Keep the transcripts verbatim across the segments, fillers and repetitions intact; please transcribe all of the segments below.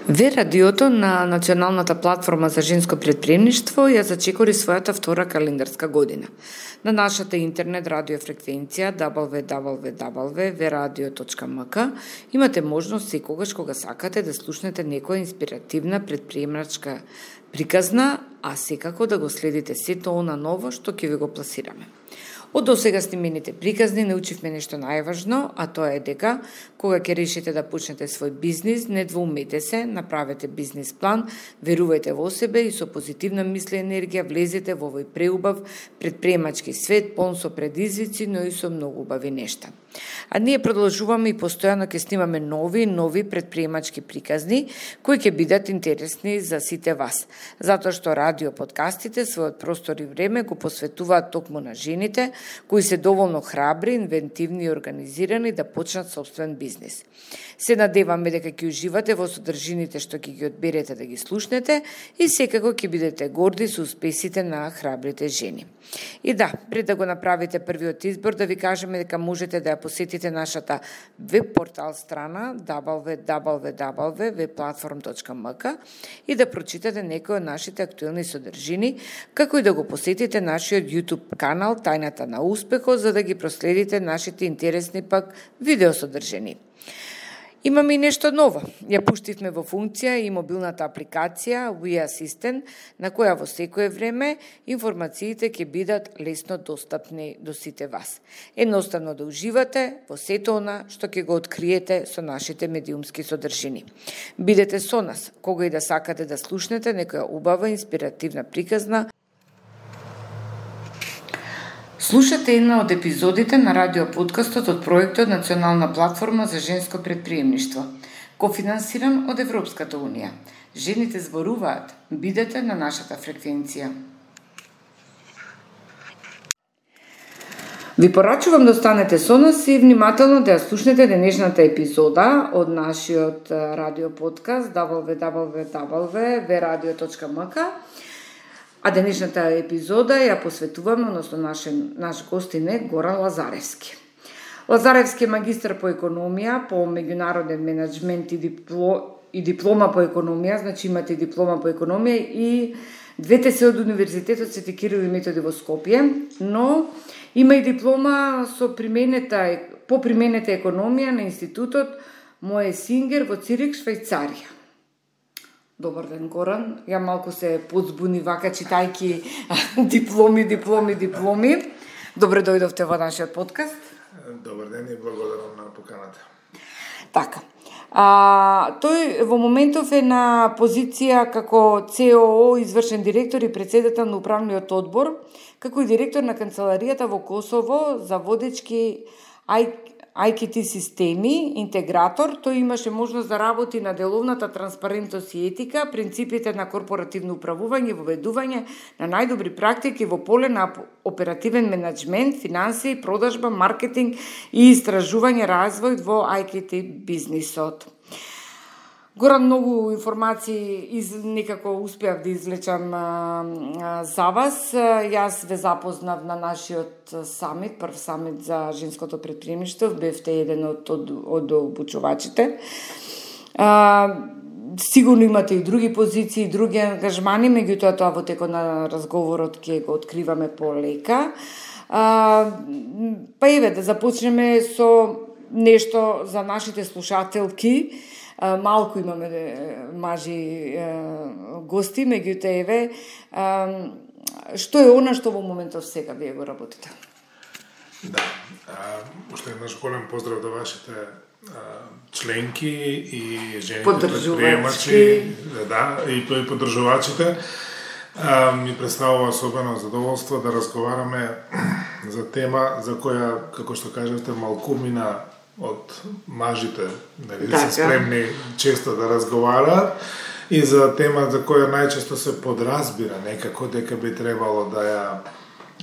Ве радиото на Националната платформа за женско претприемништво ја зачекори својата втора календарска година. На нашата интернет радио фреквенција дабл ю дабл ю дабл ю точка ве радио точка ем ка имате можност секогаш кога сакате да слушнете некоја инспиративна претприемачка приказна, а секако да го следите сето она ново што ќе ви го пласираме. Од досега снимените приказни научивме нешто најважно, а тоа е дека кога ќе решите да почнете свој бизнис, не двоумете се, направете бизнис план, верувајте во себе и со позитивна мисла и енергија влезете во овој преубав претприемачки свет, полн со предизвици, но и со многу убави нешта. А ние продолжуваме и постојано ќе снимаме нови нови претприемачки приказни кои ќе бидат интересни за сите вас, затоа што радио подкастите својот простор и време го посветуваат токму на жените кои се доволно храбри, инвентивни и организирани да почнат собствен бизнис. Се надеваме дека ќе уживате во содржините што ќе ги одберете да ги слушнете и секако ќе бидете горди со успесите на храбрите жени. И да, пред да го направите првиот избор, да ви кажеме дека можете да ја посетите нашата веб портал страна дабл ю дабл ю дабл ю точка ве платформ точка ем ка и да прочитате некои од нашите актуелни содржини, како и да го посетите нашиот YouTube канал Тајната на успехот, за да ги проследите нашите интересни пак видеосодржини. Имаме и нешто ново. Ја пуштивме во функција и мобилната апликација We Assistant, на која во секое време информациите ќе бидат лесно достапни до сите вас. Едноставно да уживате во сето она што ќе го откриете со нашите медиумски содржини. Бидете со нас, кога и да сакате да слушнете некоја убава инспиративна приказна. Слушате една од епизодите на радиоподкастот од проектот Национална платформа за женско претприемништво, кофинансиран од Европската унија. Жените зборуваат, бидете на нашата фреквенција. Ви порачувам да останете со нас и внимателно да ја слушнете денешната епизода од нашиот радиоподкаст дабл ю дабл ю дабл ю точка ве радио точка ем ка. А денешната епизода ја посветуваме, односно наш, наш гостин е Горан Лазаревски. Лазаревски е магистар по економија, по меѓународен менеджмент и, дипло, и диплома по економија, значи имате и диплома по економија и двете се од Универзитетот Свети Кирил и Методи во Скопје, но има и диплома со применета, по применета економија на Институтот Моe Singer во Цирих, Швајцарија. Добар ден, Горан. Ја малку се подзбуни вака читајки дипломи, дипломи, дипломи. Добре дојдовте во нашиот подкаст. Добар ден и благодарам на поканата. Така. А, тој во моментов е на позиција како Це О О, извршен директор и председател на управниот одбор, како и директор на канцеларијата во Косово за водечки ай ки ти системи, интегратор. Тој имаше можност да работи на деловната транспарентност и етика, принципите на корпоративно управување, воведување на најдобри практики во поле на оперативен менеджмент, финансии, продажба, маркетинг и истражување развој во ай ки ти бизнисот. Горан, многу информации из, некако успеав да извлечам а, а, за вас. Јас ве запознав на нашиот самит, прв самит за женското претприемништво, бевте еден од, од, од обучувачите. А, сигурно имате и други позиции, и други ангажмани, меѓутоа тоа во текот на разговорот ќе го откриваме полека. А, па еве, да започнеме со нешто за нашите слушателки. Малку имаме мажи гости, меѓутоа еве, што е она што во моментов сега вие го работите? Да, уште еднаш голем поздрав до вашите членки и жените претприемачи, да, и тој поддржувачите. Ми представува особено задоволство да разговараме за тема за која, како што кажете, малку мина од мажите, нели, се спремни често да разговараат и за тема за која најчесто се подразбира некако дека би требало да ја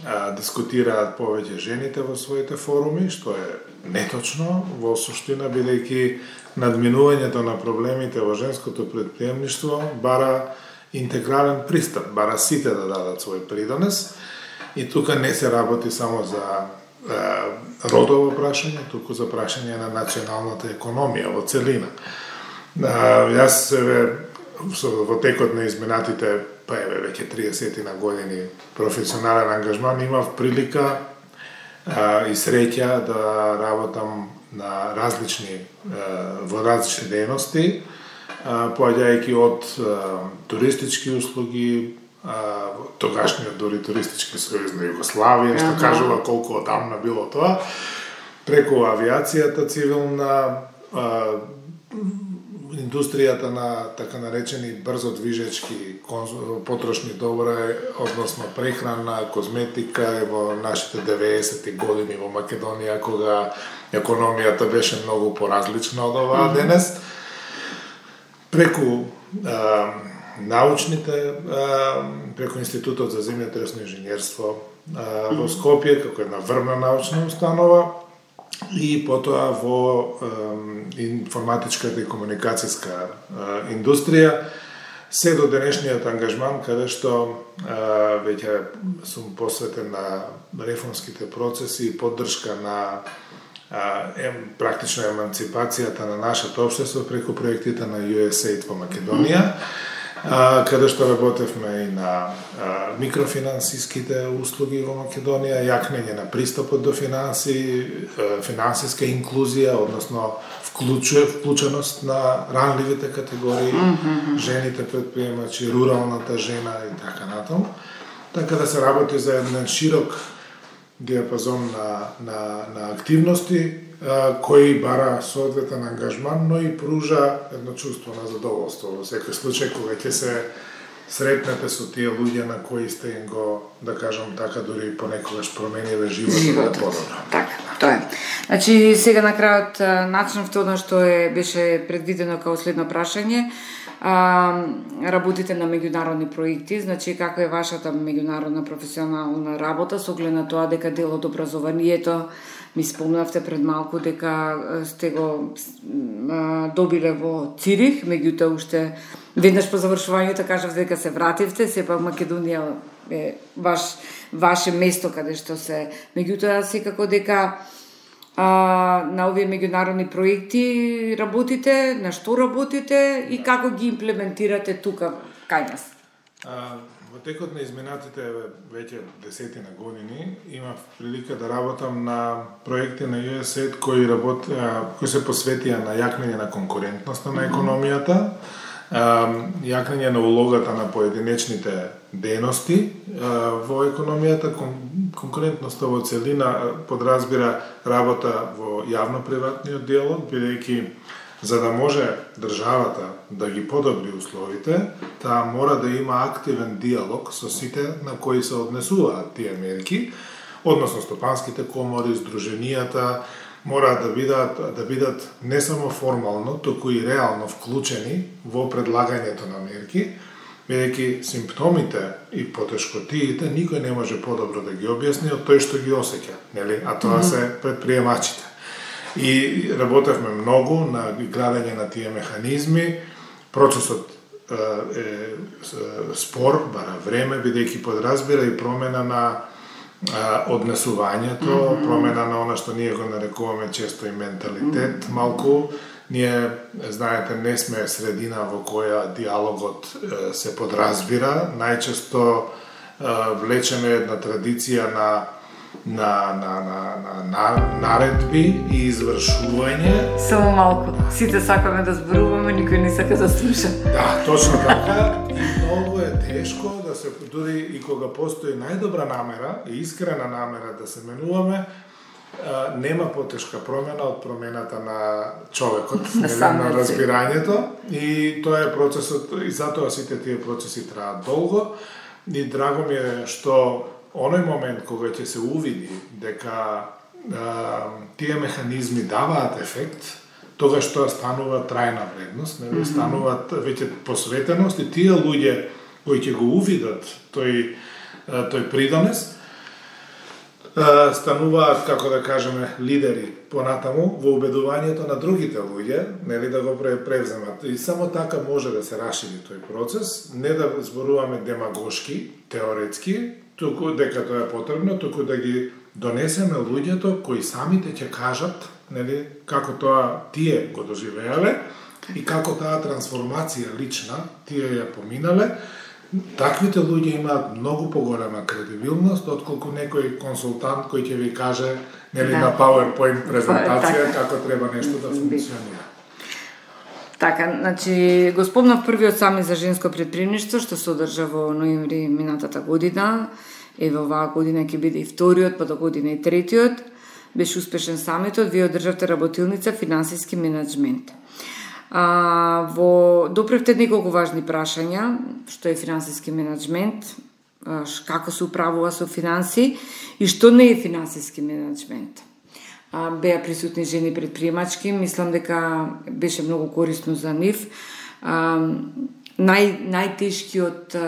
а, дискутираат повеќе жените во своите форуми, што е неточно во суштина, бидејќи надминувањето на проблемите во женското претприемништво бара интегрален пристап, бара сите да дадат свој придонес и тука не се работи само за родово прашање, туку за прашање на националната економија во целина. Јас во текот на изминатите, па еве веќе триесет на години професионален ангажман, имав прилика а, и среќа да работам на различни во различни дејности, поаѓајќи од туристички услуги, тогашниот дори туристички сојуз на Југославија, што кажува колку одамна било тоа, преку авиацијата цивилна, индустријата на така наречени брзо движечки потрошни добра, односно прехрана, козметика, во нашите деветесетти години во Македонија, кога економијата беше многу поразлична од оваа mm-hmm. денес. Преку а, научните, а, преку Институтот за земјотресно инженерство а, во Скопје, како една врвна научна установа, и потоа во е, информатичката и комуникацијска е, индустрија, се до денешниот ангажман, каде што е, веќе сум посветен на реформските процеси и поддршка на е, практично еманципацијата на нашето општество преку проектите на ю ес ей ай ди во Македонија, а, каде што работевме и на а, микрофинансиските услуги во Македонија, јакнење на пристапот до финанси, а, финансиска инклузија, односно вклучу, вклученост на ранливите категории, mm-hmm. жените предприемачи, руралната жена и така натаму. Така да се работи за еден широк диапазон на, на, на активности, а, кои бара соодветен ангажман, но и пружа едно чувство на задоволство во секој случај кога ќе се сретнете со тие луѓе на кои сте им го, да кажам така, дури понекогаш промениле животот. Животот, така, тоа е. Значи, сега на крајот начнавте одно што е, беше предвидено како следно прашање. А, работите на меѓународни проекти, значи каква е вашата меѓународна професионална работа со оглед на тоа дека дел од образованието, ми спомнавте пред малку дека сте го а, добиле во Цирих, меѓутоа уште веднаш по завршувањето кажавте дека се вративте, сепак Македонија е ваш ваше место каде што се, меѓутоа секако дека А, на овие меѓународни проекти работите, на што работите и како ги имплементирате тука кај нас? А, во текот на изминатите веќе десетина години имав прилика да работам на проекти на ю ес ей ай ди кои работ, а, кои се посветија на јакнење на конкурентноста на економијата, а, јакнење на улогата на поединечните дејности во економијата. Конкурентноста во целина подразбира работа во јавно-приватниот диалог, бидејќи за да може државата да ги подобри условите, таа мора да има активен диалог со сите на кои се однесуваат тие мерки, односно стопанските комори, здруженијата, мора да бидат да бидат не само формално, туку и реално вклучени во предлагањето на мерки, бидејќи симптомите и потешкотиите никој не може подобро да ги објасни од тој што ги осеќа, нели? А тоа mm-hmm. се предприемачите. И работевме многу на градење на тие механизми. Процесот е, е спор, бара време, бидејќи подразбира и промена на а, однесувањето, mm-hmm. промена на она што ние го нарекуваме често и менталитет, mm-hmm. малку. Ние, знаете, не сме средина во која диалогот е, се подразбира. Најчесто е, влечеме една традиција на на на на на, на наредби и извршување. Само малку. Сите сакаме да зборуваме, никој не сака да слуша. Да, точно така. И многу е тешко да се, дури и кога постои најдобра намера и искрена намера да се менуваме, нема потешка промена од промената на човекот, на, на разбирањето, и тоа е процесот, и затоа сите тие процеси траат долго. И драго ми е што оној момент кога ќе се увиди дека а, тие механизми даваат ефект, тогаш тоа станува трајна вредност, не mm-hmm. стануваат веќе посветеност, и тие луѓе кои ќе го увидат тој тој придонес, стануваат, како да кажеме, лидери понатаму во убедувањето на другите луѓе, нели, да го превземат. И само така може да се расшири тој процес, не да зборуваме демагошки, теоретски, туку дека тоа е потребно, туку да ги донесеме луѓето кои самите ќе кажат нели, како тоа тие го доживеале и како таа трансформација лична тие ја поминале, таквите луѓе имаат многу поголема кредибилност отколку некој консултант кој ќе ви каже, нели, да, на PowerPoint презентација така, како треба нешто да функционира. Така, значи, го спомнав првиот самит за женско претприемништво, што се одржа во ноември минатата година. Ево оваа година ќе биде и вториот, па до година и третиот. Беше успешен самитот, вие одржавте работилница финансиски менеджмент. А, во допревте неколку важни прашања, што е финансиски менеджмент, како се управува со финанси и што не е финансиски менеджмент. Беа присутни жени предприемачки, мислам дека беше многу корисно за нив. Нај, најтешкиот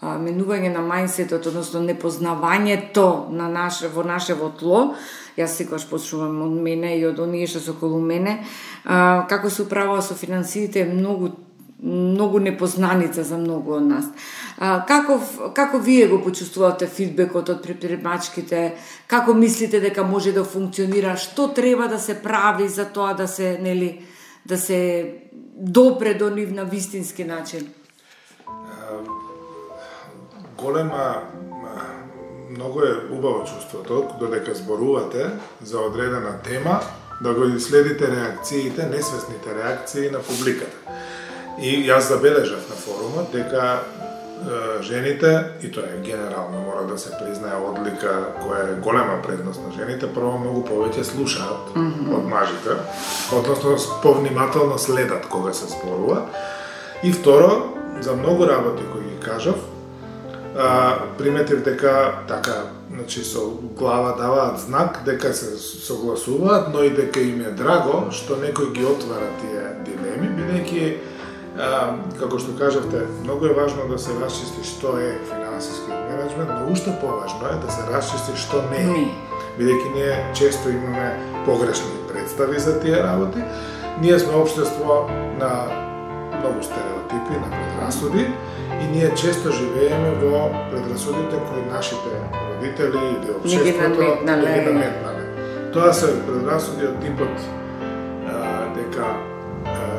менување на мајндсетот, односно непознавањето на наше, во нашево тло, јас секогаш почнувам од мене и од оние што се околу мене, како се управува со финансиите е многу многу непознаница за многу од нас. А, како, како вие го почувствувате фидбекот од предприемачките? Како мислите дека може да функционира? Што треба да се прави за тоа да се, нели, да се допре до нив на вистински начин? Голема, многу е убаво чувството, додека зборувате за одредена тема, да го следите реакциите, несвесните реакции на публиката. И јас забележав на форумот дека е, жените, и тоа е генерално, мора да се признае одлика која е голема предност на жените, прво многу повеќе слушаат mm -hmm. од мажите, односно повнимателно следат кога се зборува. И второ, за многу работи кои ги кажав, а, приметив дека така, значи со глава даваат знак дека се согласуваат, но и дека им е драго што некој ги отвара тие дилеми, бидејќи А, како што кажавте, многу е важно да се расчисти што е финансиски менеджмент, но уште поважно е да се расчисти што не е. Бидејќи ние често имаме погрешни представи за тие работи. Ние сме општество на многу стереотипи, на предрасуди и ние често живееме во предрасудите кои нашите родители или општеството не ги наметнале. Тоа се предрасуди од типот а, дека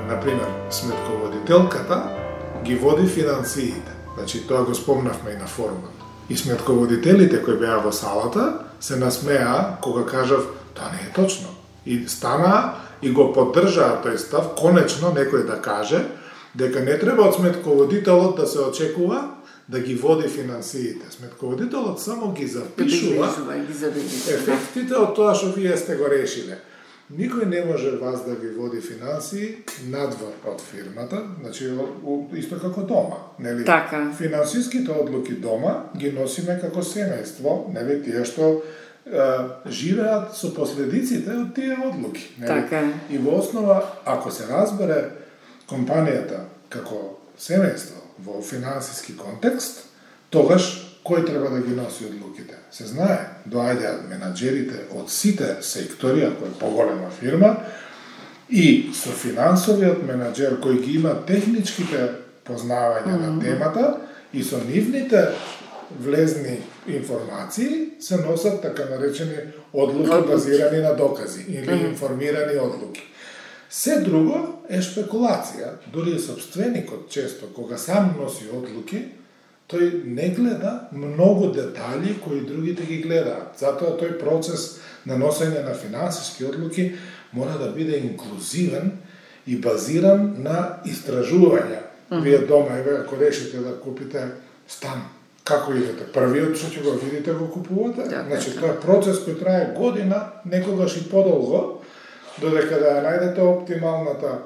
например, сметководителката ги води финансиите. Значи, тоа го спомнавме и на форумот. И сметководителите кои беа во салата се насмеа кога кажав тоа не е точно. И стана и го поддржаа тој став, конечно некој да каже дека не треба од сметководителот да се очекува да ги води финансиите. Сметководителот само ги запишува ефектите од тоа што вие сте го решиле. Никој не може вас да ви води финансии надвор од фирмата, значи исто како дома, нели? Така. Финансиските одлуки дома ги носиме како семејство, нели, тие што е, живеат со последиците од тие одлуки, нели? Така. И во основа, ако се разбере компанијата како семејство во финансиски контекст, тогаш кој треба да ги носи одлуките? Се знае, доаѓаат менаџерите од сите сектори, ако е поголема фирма, и со финансовиот менаџер кој ги има техничките познавања mm -hmm. на темата и со нивните влезни информации се носат така наречени одлуки mm -hmm. базирани на докази или mm -hmm. информирани одлуки. Се друго е шпекулација, дури собственикот често кога сам носи одлуки, тој не гледа многу детали кои другите ги гледаат. Затоа тој процес на носење на финансиски одлуки мора да биде инклузивен и базиран на истражувања. Mm -hmm. Вие дома, еве, ако решите да купите стан, како идете? Првиот што ќе го видите го купувате? Да, значи, тоа е процес кој трае година, некогаш и подолго, додека да ја најдете оптималната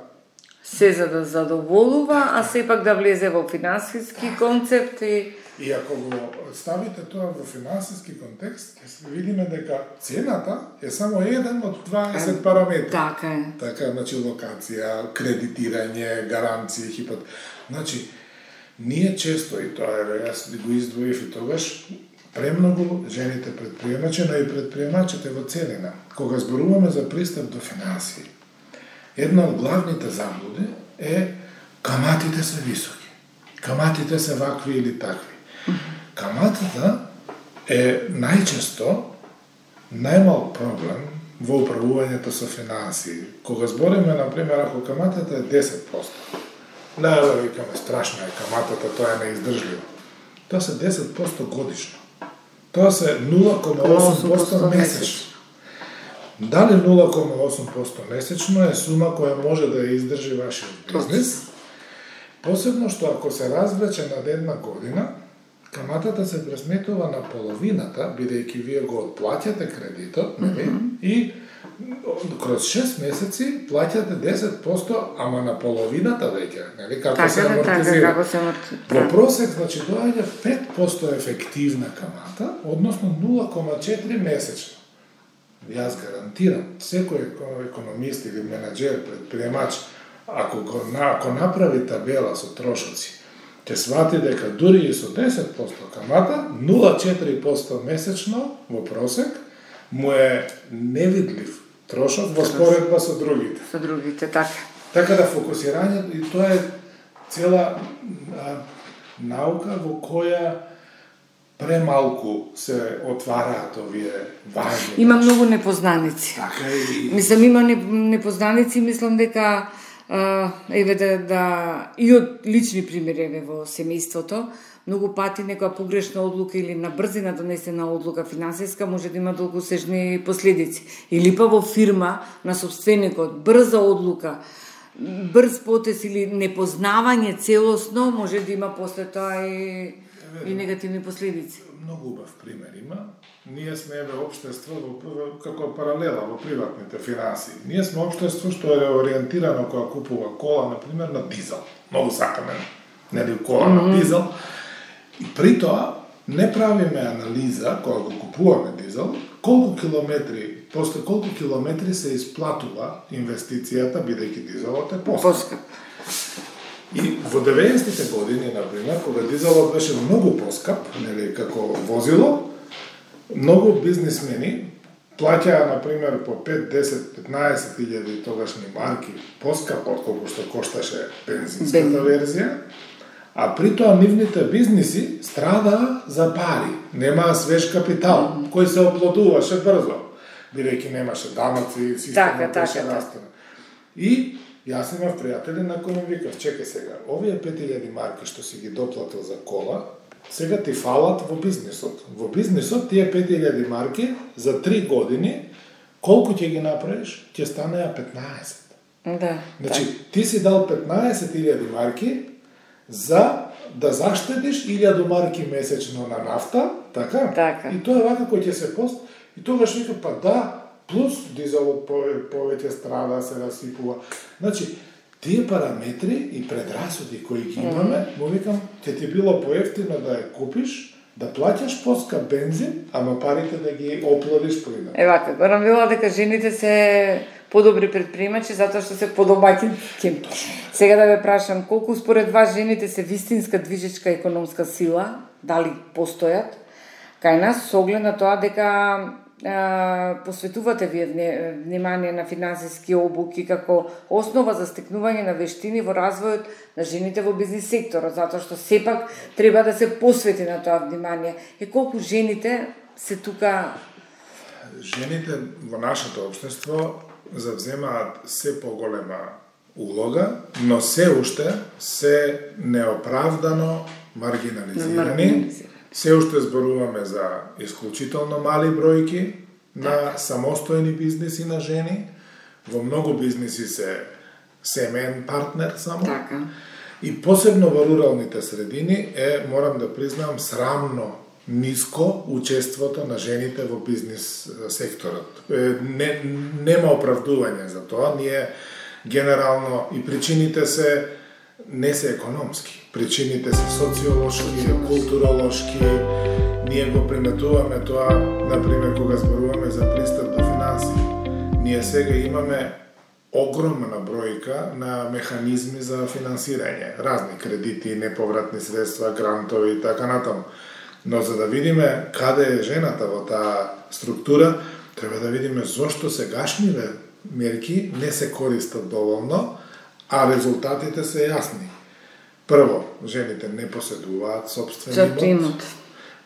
се за да задоволува, а сепак да влезе во финансиски концепт и... И ако го ставите тоа во финансиски контекст, ќе се видиме дека цената е само еден од дваесет параметри. Така е. Така, значи, локација, кредитирање, гаранции, хипот... Значи, ние често, и тоа е, јас го издвоив и тогаш, премногу жените предприемачи, но и предприемачите во целина, кога зборуваме за пристап до финансии, една од главните заблуди е каматите се високи. Каматите се вакви или такви. Каматата е најчесто најмал проблем во управувањето со финансии. Кога збориме, например, ако каматата е десет проценти, не да викаме страшна е каматата, тоа е неиздржливо. Тоа се десет проценти годишно. Тоа се нула кома осум проценти месечно. Дали нула кома осум проценти месечно е сума која може да ја издржи вашиот бизнес? Посебно што ако се развлече над една година, каматата се пресметува на половината, бидејќи вие го отплаќате кредитот, нели? Mm -hmm. И кроз шест месеци плаќате десет проценти, ама на половината веќе, нели? Како така, се амортизира. Така, како се амортизира. Во просек, значи, доаѓа пет проценти ефективна камата, односно нула кома четири месечно. Јас гарантирам, секој економист или менаџер, предприемач, ако, го, ако направи табела со трошоци, ќе свати дека дури и со десет проценти камата, нула кома четири проценти месечно во просек, му е невидлив трошок во споредба со другите. Со другите, така. Така да фокусирањето, и тоа е цела а, наука во која премалку се отвараат овие важни. Има многу непознаници. Така и... Мислам, има непознаници, мислам дека Uh, еве да, да и од лични примери еве во семејството, многу пати некоја погрешна одлука или на брзина донесена одлука финансиска може да има долгосежни последици. Или па во фирма на собственикот брза одлука, брз потез или непознавање целосно може да има после тоа и, и негативни последици. Многу убав пример има. Ние сме еве општество во, како паралела во приватните финансии. Ние сме општество што е ориентирано кога купува кола, например, на дизел. Многу сакаме, нели, кола mm -hmm. на дизел. И при тоа не правиме анализа кога го купуваме дизел, колку километри, после колку километри се исплатува инвестицијата, бидејќи дизелот е поскап. И во деветдесетите години, например, кога дизелот беше многу поскап, нели, како возило, многу бизнисмени плаќаа, например, по пет, десет, петнаесет илјади тогашни марки поскап отколку што кошташе бензинската Бен. верзија, а при тоа нивните бизниси страдаа за пари, немаа свеж капитал, mm. кој се оплодуваше брзо, бидејќи немаше даноци, системот беше растена. И јас имав пријатели на кои ми викав, чекај сега, овие пет илјади марки што си ги доплатил за кола, сега ти фалат во бизнисот. Во бизнисот тие пет илјади марки за три години, колку ќе ги направиш, ќе станеа петнаесет. Да. Значи, так. Ти си дал петнаесет илјади марки за да заштедиш илјаду марки месечно на нафта, така? Така. И тоа е вака кој ќе се пост, и тогаш вика, па да, плюс дизелот повеќе страда, се расипува. Значи, тие параметри и предрасуди кои ги имаме, mm -hmm. му викам, ќе ти било поевтино да ја купиш, да плаќаш поскап бензин, ама парите да ги оплодиш плина. Е вака, барам била дека жените се подобри предприемачи затоа што се подобаќи. Сега да ве прашам, колку според вас жените се вистинска движечка економска сила, дали постојат кај нас, со оглед на тоа дека Uh, посветувате вие внимание на финансиски обуки како основа за стекнување на вештини во развојот на жените во бизнис секторот, затоа што сепак треба да се посвети на тоа внимание. И колку жените се тука... Жените во нашето општество завземаат се поголема улога, но се уште се неоправдано маргинализирани. Се уште зборуваме за исклучително мали бројки на самостојни бизниси на жени. Во многу бизниси се семеен партнер само. Така. И посебно во руралните средини е, морам да признам, срамно ниско учеството на жените во бизнис секторот. Не, нема оправдување за тоа. Ние генерално и причините се не се економски. Причините се социолошки, културолошки. Ние го приметуваме тоа, например, кога зборуваме за пристап до финансии. Ние сега имаме огромна бројка на механизми за финансирање. Разни кредити, неповратни средства, грантови и така натаму. Но за да видиме каде е жената во таа структура, треба да видиме зошто сегашниве мерки не се користат доволно, а резултатите се јасни. Прво, жените не поседуваат собствен имот.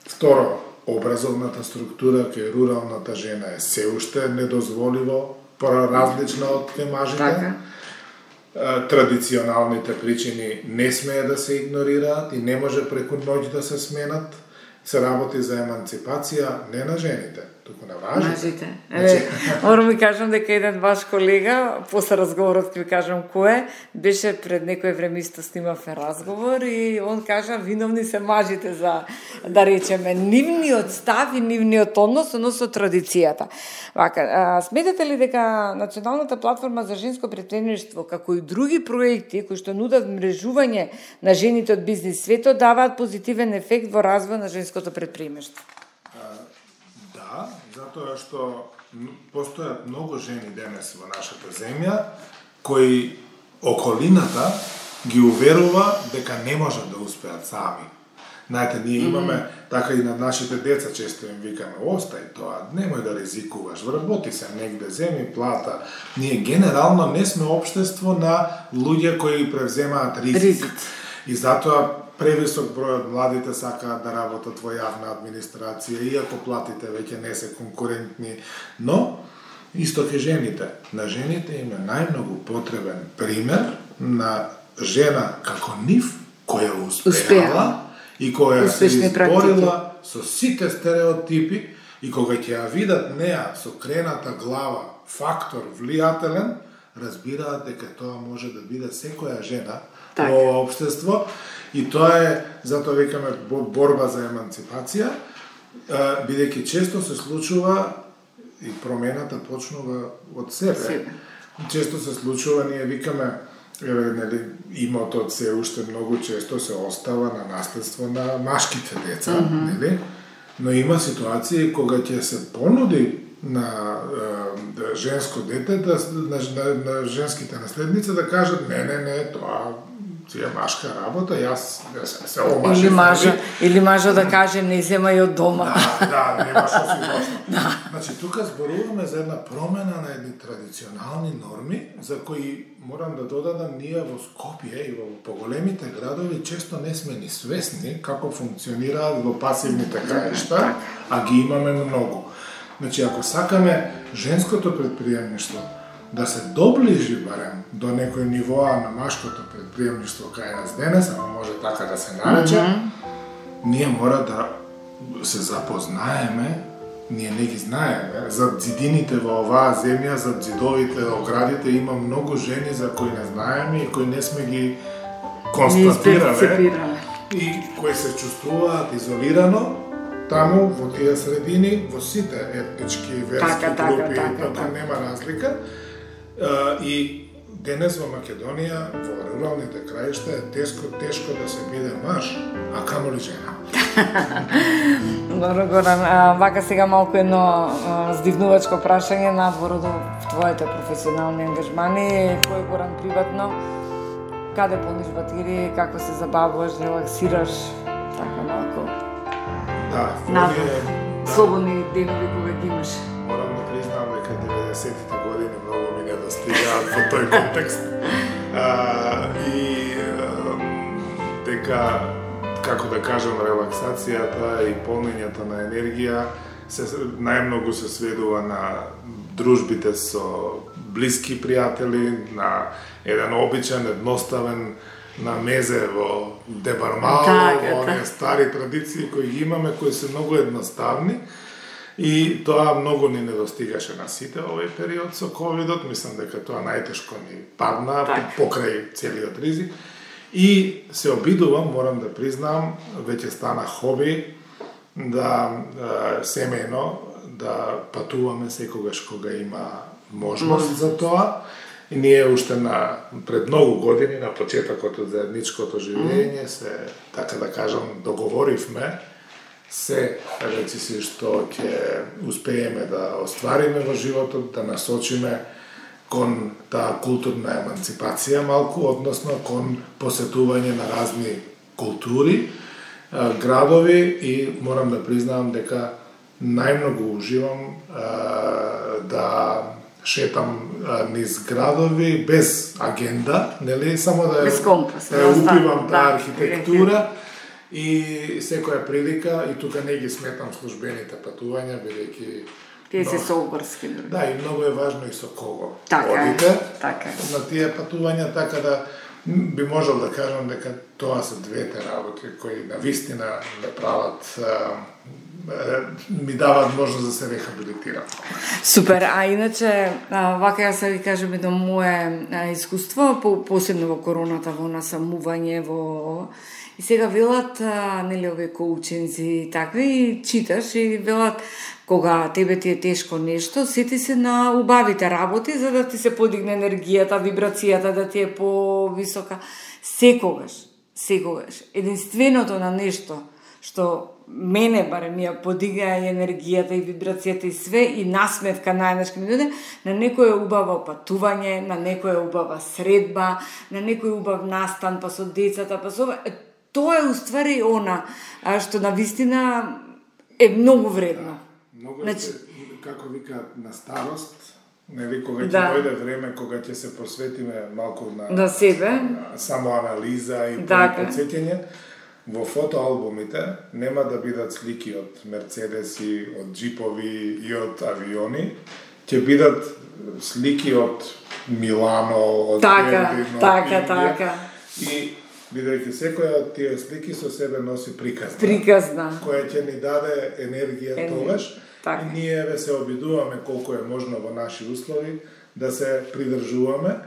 Второ, образовната структура кај руралната жена е се уште недозволиво поразлична од кај мажите. Така. Традиционалните причини не смее да се игнорираат и не може преку ноќ да се сменат. Се работи за еманципација не на жените, туку на мажите. Мажите. Значи... Морам ви кажам дека еден ваш колега, после разговорот ќе ви кажам кој е, беше пред некој време исто снимавме разговор и он кажа виновни се мажите за, да речеме, нивниот став и нивниот однос, односно традицијата. Вака, а, сметате ли дека Националната платформа за женско претпредприемништво, како и други проекти кои што нудат мрежување на жените од бизнис светот, даваат позитивен ефект во развој на женското претприемништво? Да, затоа што постојат многу жени денес во нашата земја кои околината ги уверува дека не можат да успеат сами. Знаете, ние имаме, mm -hmm. така и на нашите деца често им викаме, остај тоа, немој да ризикуваш, вработи се негде, земи плата. Ние генерално не сме општество на луѓе кои превземаат ризик. ризик. И затоа превисок број од младите сакаат да работат во јавна администрација, иако платите веќе не се конкурентни, но исто ке жените. На жените им е најмногу потребен пример на жена како нив, која успеала, успеала. И која се изборила со сите стереотипи и кога ќе ја видат неа со крената глава фактор влијателен, разбираат дека тоа може да биде секоја жена так. Во општество и тоа е, затоа викаме борба за еманципација, бидејќи често се случува и промената почнува од себе. себе. Често се случува, ние викаме, еве, нели, имотот се уште многу често се остава на наследство на машките деца, mm -hmm. нели? Но има ситуации кога ќе се понуди на е, женско дете, да, на, на, на женските наследници да кажат не, не, не, тоа си е машка работа, јас се, се омашив. Или мажа, или мажа да каже не земај од дома. Да, да, нема што си доста. Да. Значи, тука зборуваме за една промена на едни традиционални норми, за кои морам да додадам ние во Скопје и во поголемите градови често не сме ни свесни како функционираат во пасивните краишта, а ги имаме многу. Значи, ако сакаме женското претприемништво да се доближи барем до некој нивоа на машкото претприемништво кај нас денес, ама може така да се нарече, mm -hmm. ние мора да се запознаеме, ние не ги знаеме, зад зидините во оваа земја, зад зидовите, оградите има многу жени за кои не знаеме и кои не сме ги констатирале и кои се чувствуваат изолирано таму во тие средини, во сите етнички и верски така, групи, така, така, така нема разлика. И денес во Македонија, во руралните краишта е тешко, тешко да се биде маж, а камоли жена. Добро, Горан, вака сега малку едно здивнувачко прашање надвор од твоите професионални ангажмани. Кој, Горан, приватно, каде полниш батерии, како се забавуваш, релаксираш, така малку? Да, надвор, да. Слободни денови кога ги имаш. Морам да признам дека деветдесетите години многу ми не достигаат во тој контекст. А, и а, дека, како да кажам, релаксацијата и полнењето на енергија се најмногу се сведува на дружбите со блиски пријатели, на еден обичен, едноставен на мезе во Дебармал, во оние стари традиции кои ги имаме, кои се многу едноставни. И тоа многу ни недостигаше на сите овој период со ковидот, мислам дека тоа најтешко ни падна так. Покрај целиот ризик. И се обидувам, морам да признам, веќе стана хоби да е, семејно да патуваме секогаш кога има можност за тоа. И ние уште на пред многу години на почетокот од заедничкото живење се, така да кажам, договоривме се речи си што ќе успееме да оствариме во животот, да насочиме кон таа културна еманципација малку, односно кон посетување на разни култури, градови и морам да признавам дека најмногу уживам да шетам низ градови без агенда, нели, само да без компас, да упивам таа архитектура и секоја прилика, и тука не ги сметам службените патувања, бидејќи тие се сообврски. Да, и многу е важно и со кого така одите е, така. на тие патувања, така да би можел да кажам дека тоа се двете работи кои навистина ме прават, ми дават можност да се рехабилитирам. Супер, а иначе, а, вака ја се ви кажем едно мое а, искуство, по, посебно во короната, во насамување, во... И сега велат, а, нели, овие коучинзи и такви, и читаш и велат, кога тебе ти е тешко нешто, сети се на убавите работи, за да ти се подигне енергијата, вибрацијата, да ти е повисока. Секогаш, секогаш, единственото на нешто што мене барем ја подига и енергијата и вибрацијата и све и насмевка најнашки ми дојде, на некој е убаво патување, на некој е убава средба, на некој е убав настан па со децата, па со... Тоа е уствари она што навистина е многу вредно. Многу е, значи... како викаат, на старост, нели, кога ќе да. дојде време кога ќе се посветиме малку на, на себе, на самоанализа и да, подсеќање, во фотоалбумите нема да бидат слики од мерцедеси, од джипови и од авиони, ќе бидат слики од Милано, од така, Бердино, така, Индија, така. И бидејќи секоја од тие слики со себе носи приказна, приказна. која ќе ни даде енергија Ен... тогаш, така. И ние ве се обидуваме колку е можно во наши услови да се придржуваме.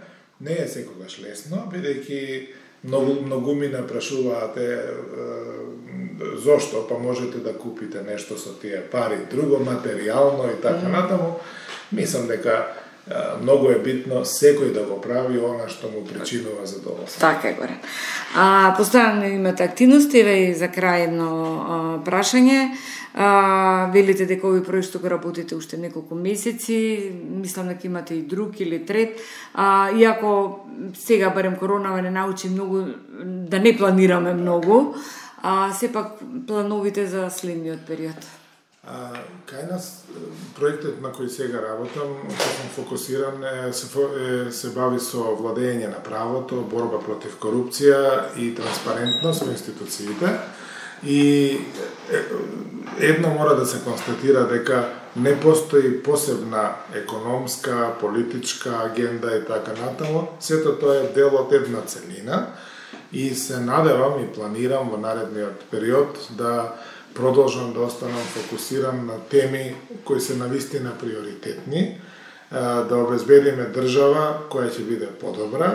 Не е секогаш лесно, бидејќи многу многуми не прашуваате зошто, па можете да купите нешто со тие пари, друго материјално и така mm. натаму. Мислам дека многу е битно секој да го прави она што му причинува задоволство. Така е, горе. А, постојано имате активности, еве за крај едно а, прашање. А, велите дека овој проект што го работите уште неколку месеци, мислам дека имате и друг или трет. А, иако сега барем коронава не научи многу да не планираме многу, а сепак плановите за следниот период. А, кај нас проектот на кој сега работам, кој сум фокусиран, е, се, е, се бави со владење на правото, борба против корупција и транспарентност во институциите. И едно мора да се констатира дека не постои посебна економска, политичка агенда и така натаму. Сето тоа е дел од една целина и се надевам и планирам во наредниот период да продолжам да останам фокусиран на теми кои се навистина приоритетни, да обезбедиме држава која ќе биде подобра.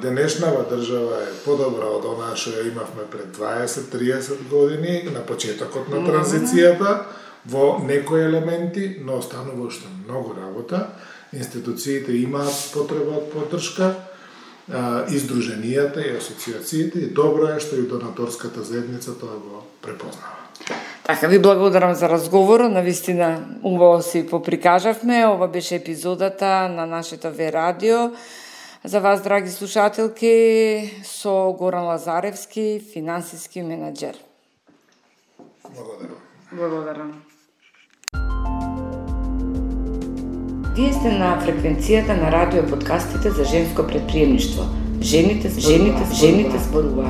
Денешнава држава е подобра од онаа што ја имавме пред дваесет до триесет години, на почетокот на транзицијата, во некои елементи, но останува уште многу работа. Институциите имаат потреба од поддршка, издруженијата и асоциациите, и добро е што и донаторската заедница тоа го препознава. Така, ви благодарам за разговорот, навистина убаво си поприкажавме. Ова беше епизодата на нашето Ве радио. За вас, драги слушателки, со Горан Лазаревски, финансиски менаџер. Благодарам. Благодарам. Вие сте на фреквенцијата на радио подкастите за женско предприемништво. Жените, жените, жените зборуваат.